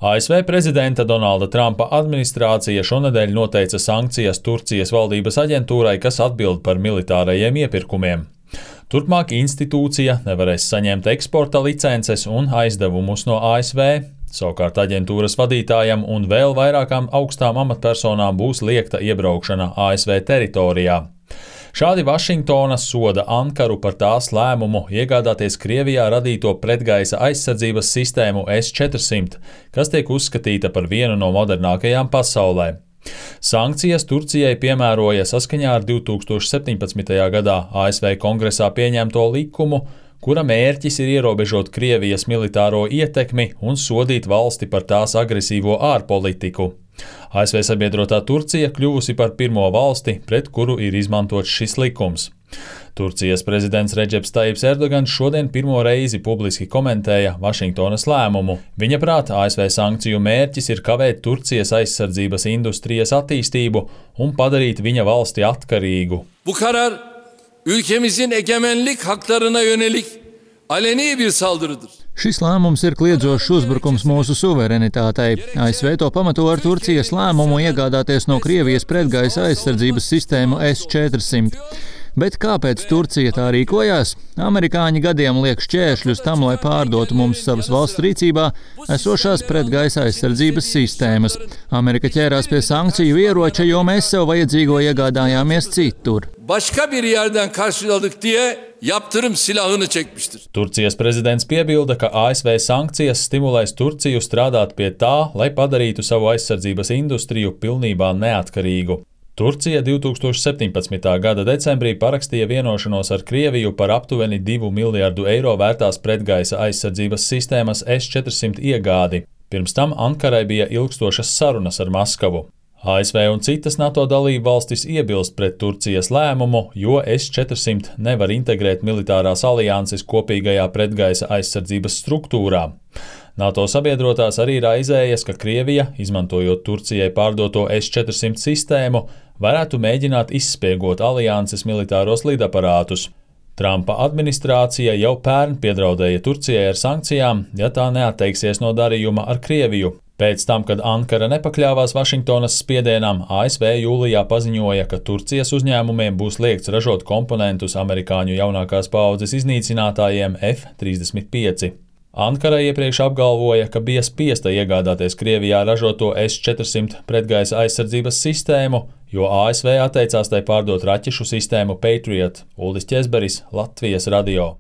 ASV prezidenta Donalda Trumpa administrācija šonedēļ noteica sankcijas Turcijas valdības aģentūrai, kas atbild par militārajiem iepirkumiem. Turpmāk institūcija nevarēs saņemt eksporta licences un aizdevumus no ASV. Savukārt aģentūras vadītājam un vēl vairākām augstām amatpersonām būs liegta iebraukšana ASV teritorijā. Šādi Vašingtona soda Ankaru par tās lēmumu iegādāties Krievijā radīto pretgaisa aizsardzības sistēmu S-400, kas tiek uzskatīta par vienu no modernākajām pasaulē. Sankcijas Turcijai piemēroja saskaņā ar 2017. gadā ASV Kongresā pieņemto likumu, kura mērķis ir ierobežot Krievijas militāro ietekmi un sodīt valsti par tās agresīvo ārpolitiku. ASV sabiedrotā Turcija kļuvusi par pirmo valsti, pret kuru ir izmantots šis likums. Turcijas prezidents Redžeps Tajips Erdogans šodien pirmo reizi publiski komentēja Vašingtonas lēmumu. Viņa prāt, ASV sankciju mērķis ir kavēt Turcijas aizsardzības industrijas attīstību un padarīt viņa valsti atkarīgu. Bu karar ülkemizin egemenlik haklarına yönelik aleni bir saldırıdır. Šis lēmums ir kliedzošs uzbrukums mūsu suverenitātei. ASV to pamato ar Turcijas lēmumu iegādāties no Krievijas pretgaisa aizsardzības sistēmu S-400. Bet kāpēc Turcija tā rīkojās? Amerikāņi gadiem liek šķēršļus tam, lai pārdotu mums savas valsts rīcībā esošās pretgaisa aizsardzības sistēmas. Amerika ķērās pie sankciju ieroča, jo mēs sev vajadzīgo iegādājāmies citur. Başka bir yerden karşıladık diye yaptırım silahını çekmiştir. Turcijas prezidents piebilda, ka ASV sankcijas stimulēs Turciju strādāt pie tā, lai padarītu savu aizsardzības industriju pilnībā neatkarīgu. Turcija 2017. gada decembrī parakstīja vienošanos ar Krieviju par aptuveni 2 miljardu eiro vērtās pretgaisa aizsardzības sistēmas S-400 iegādi. Pirms tam Ankarai bija ilgstošas sarunas ar Maskavu. ASV un citas NATO dalību valstis iebilst pret Turcijas lēmumu, jo S-400 nevar integrēt militārās alianses kopīgajā pretgaisa aizsardzības struktūrā. NATO sabiedrotās arī raizējas, ka Krievija, izmantojot Turcijai pārdoto S-400 sistēmu, varētu mēģināt izspiegot alianses militāros lidaparātus. Trumpa administrācija jau pērn piedraudēja Turcijai ar sankcijām, ja tā neatteiksies no darījuma ar Krieviju. Pēc tam, kad Ankara nepakļāvās Vašingtonas spiedienam, ASV jūlijā paziņoja, ka Turcijas uzņēmumiem būs liegts ražot komponentus amerikāņu jaunākās paaudzes iznīcinātājiem F-35. Ankara iepriekš apgalvoja, ka bija spiesta iegādāties Krievijā ražoto S-400 pretgaisa aizsardzības sistēmu, jo ASV atteicās tai pārdot raķešu sistēmu Patriot. Uldis Ķezberis, Latvijas radio.